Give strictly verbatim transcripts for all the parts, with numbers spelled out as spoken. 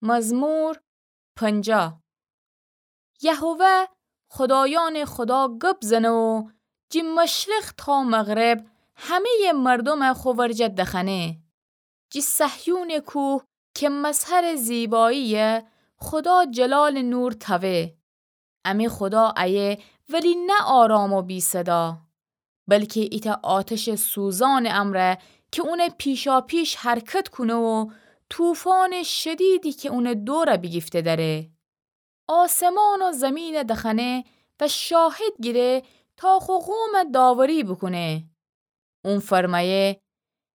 مزمور پنجاه. یهوه خدایأنٚ خدا گب زنه و جٚه مشرق تا مغرب همه‌یٚ مردومَ خو ورجه دخنه. جٚه صهیونٚ کوه کی مظهرٚ زیبایی‌یه، خدا جلالٚ نور تأوه. امی خدا ایه، ولی نه آرام و بی‌صدا، بلکی ایتأ آتشٚ سوزانٚ امرأ کی اونٚ پیشاپیش حرکت کونه و طوفانٚ شدیدی کی اونٚ دورَ بیگیفته دأره. آسمان و زیمینَ دخنه و شاهد گیره تا خو قومَ داوری بوکونه. اون فرمأیه: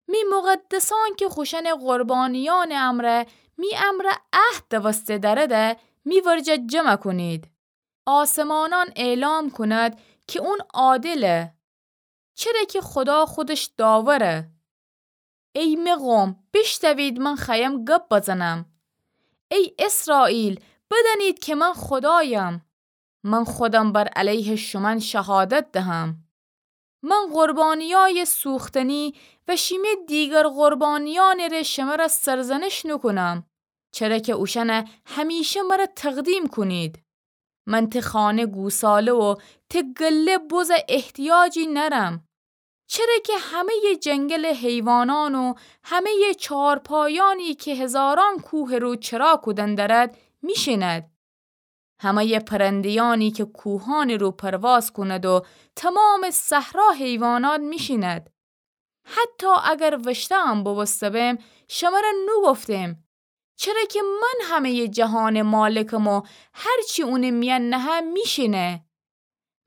می مقدسأن کی خوشأنٚ قربانیأنٚ امرأ می امرأ عهد دوسته دأرده، می ورجه جمع کونید. آسمانأن اعلام کند کی اون عادله، چره کی خدا خودش داوره. ای می قوم، بیشتوید من خوأیم گب بزنم. ای اسرائیل، بدأنید کی من خدایم. من خودم بر علیه شومأن شهادت دهم. من قربانیأیٚ سوختنی و شیمی دیگر قربانیأنٚ ره شمرَ سرزنش نوکونم، چره کی اوشأنَ همیشه مرَ تقدیم کونید. من تی خانه گوساله و تی گله بزٚ احتیاجی نأرم. چره کی همه‌یٚ جنگلٚ حیوانأن و همه‌یٚ چارپایأنی کی هزارأن کوهٚ رو چرا کودن دأرد، میشیند. همه‌یٚ پرنده‌یأنی کی کوهأنٚ رو پرواز کوند و تومامٚ صحرا حیوانأن میشیند. حتی اگر وشته‌ام بوبوسته‌بم، شمرَ نوگفتم، چره کی من همه‌یٚ جهانٚ مالکم و هر چی اونٚ میأن نهه میشینه.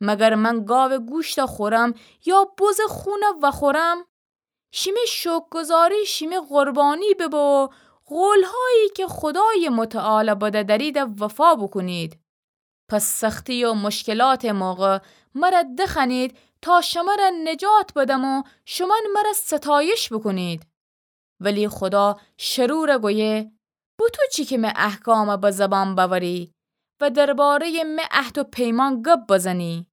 مگر من گاوٚ گوشتَ خورم یا بزٚ خونَ وأخورم؟ شیمی شوکرگزاری شیمی قربانی ببه و قولهایی کی خودایٚ متعالٚ بده دأریدَ وفا بوکونید. پس سختی و مشکلاتٚ موقع مرَ دخوأنید تا شمرَ نجات بدم و شومأن مرَ ستایش بوکونید. ولی خدا شرورَ گویه: بوتو چی کی می احکامَ به زبان بأوری و درباره‌یٚ می عهد و پیمان گب بزنی؟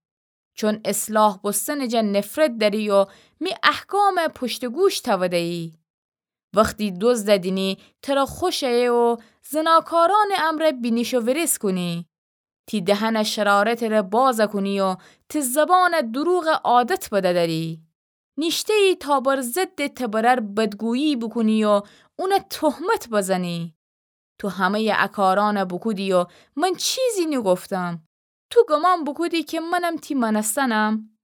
چون اصلاح بوستنٚ جا نفرت دأری و می احکامَ پشتٚ گوش تأوده‌یی. وختی دزدَ دینی، ترَ خوش ایه و زناکارأنٚ امرأ بینیش و ویریز کونی. تی دهنَ شرارتٚ ره بازَ کونی و تی زبانَ دروغَ عادت بدأ دأری. نیشته‌یی تا بر ضدٚ تی برأر بدگویی بوکونی و اونَ تهمت بزنی. تو همه‌یٚ ا کارأنَ بوکودی و من چیزی نیگفتم. تو گمان بوکودی کی منم تی مأنستنم؟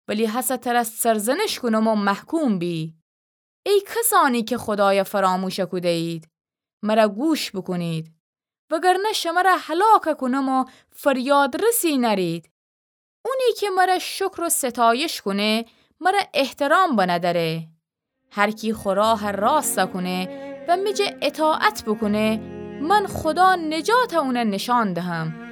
ولی هسه ترَ سرزنش کونم و محکوم بی. ای کسأنی کی خودایَ فراموش کوده‌یید، مرَ گوش بوکونید، وگرنه شمرَ هلاک کونم و فریادرسی نأرید. اونی کی مرَ شکر و ستایش کونه، مرَ احترام بنه دأره. هر کی خو راه راستَ کونه و می جا اطاعت بوکونه، من خدا نجاتَ اونَ نشان دهم.